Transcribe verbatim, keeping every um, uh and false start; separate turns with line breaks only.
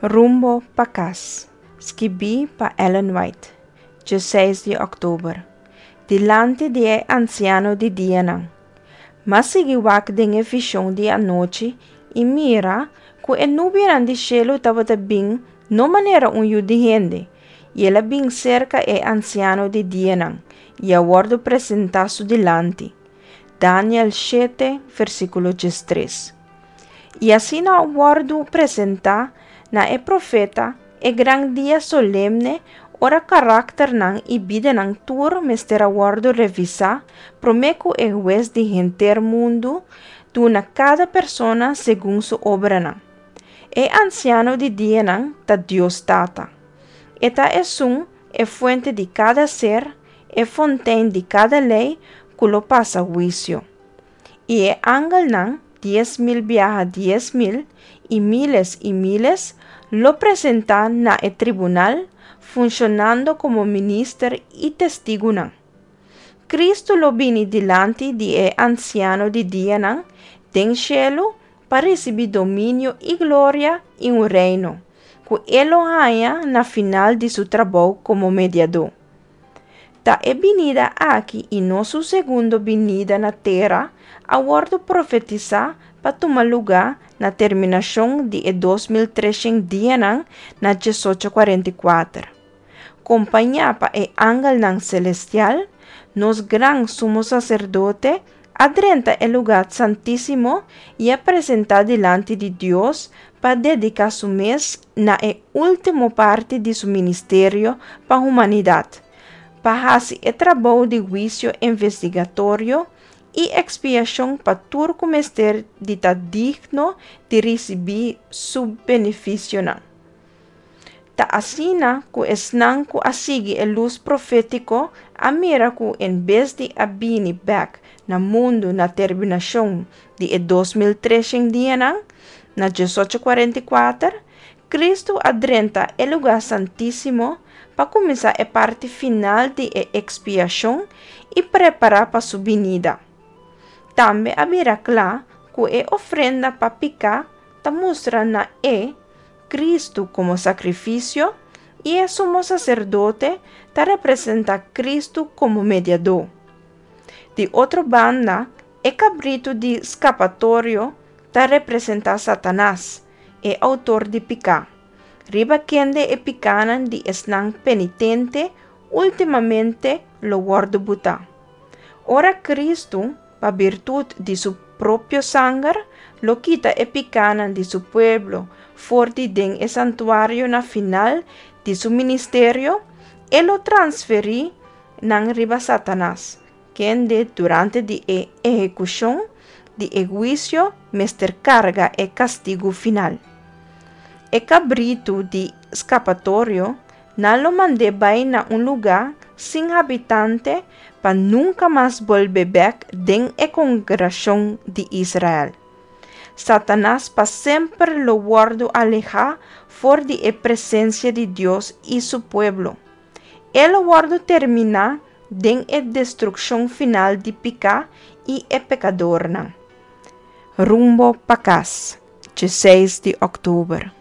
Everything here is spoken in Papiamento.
Rumbo pa kas. Skibí pa Ellen White. Diesseis di òktober. Dilanti di e Ansiano di Dianan. M'a sigui wak den e vishon di anochi i mira ku e nubianan di shelu tabata bin no manera un yu di hende, i el a bin serka e Ansiano di Dianan i a wòrdu presentá su dilanti. Daniel shete, versíkulo diestres. I asina a wòrdu presentá na e profeta e gran dia solemne ora karakternan i bidanan tur mester a wòrdu revisá promé ku e Hues di henter mundu duna kada persona segun su obranan. E Ansiano di Dianan ta Dios Tata. E ta esun, e fuente di kada ser, e fontein di kada lei ku lo pasa huisio. I e angelnan, dies mil biaha dies mil, i míles i míles, lo presentá na e tribunal, funshonando komo minister i testigunan. Kristu lo bini dilanti di e Ansiano di Dianan den shelu pa risibí dominio i gloria i un reino, ku e lo haña na final di su trabou komo mediadó. Ta e binida aki i no su segundo binida na tera a wòrdu profetisá pa tuma lugá na terminashon di e dos mil treshen dianan na diesocho kuarenta i kuater. Kompañá pa e angelnan selestial, nos gran sumo saserdote a drenta e lugá santísimo i a presentá dilanti di Dios pa dediká su mes na e último parti di su ministerio pa humanidat, pa hasi e trabou di huisio investigatorio i ekspiashon pa tur ku mester di ta digno di risibí su benefisionan. Ta asina ku esnan ku a sigui e lus profétiko a mira ku en bes di a bini bèk na mundu na terminashon di e dos mil treshen dianan, na diesocho kuarenta i kuater, Kristu a drenta e lugá santísimo pa kuminsá e parti final di e ekspiashon i prepará pa su binida. Tambe a bira kla ku e ofrenda pa piká ta mustra na e Kristu komo sakrifisio i e sumo saserdote ta representá Kristu komo mediadó. Di otro banda, e kabritu di skapatorio ta representá Satanas, e outor di piká, riba kende e pikánan di esnan penitente últimamente lo wòrdu butá. Ora Kristu, pa birtut di su propio sanger, lo kita e pikánan di su pueblo for di den e santuario na final di su ministerio, e lo transferí nan riba Satanas, kende durante di e ehekushon di e huisio mester karga e kastigu final. E kabritu di skapatorio nan lo mand'é bai na un lugá sin habitante pa nunka mas bolbe bèk den e kongregashon di Israel. Satanas pa semper lo wòrdu alehá for di e presensia di Dios i su pueblo. E lo wòrdu terminá den e destrukshon final di piká i e pekadornan. Rumbo pa kas, diesseis di òktober.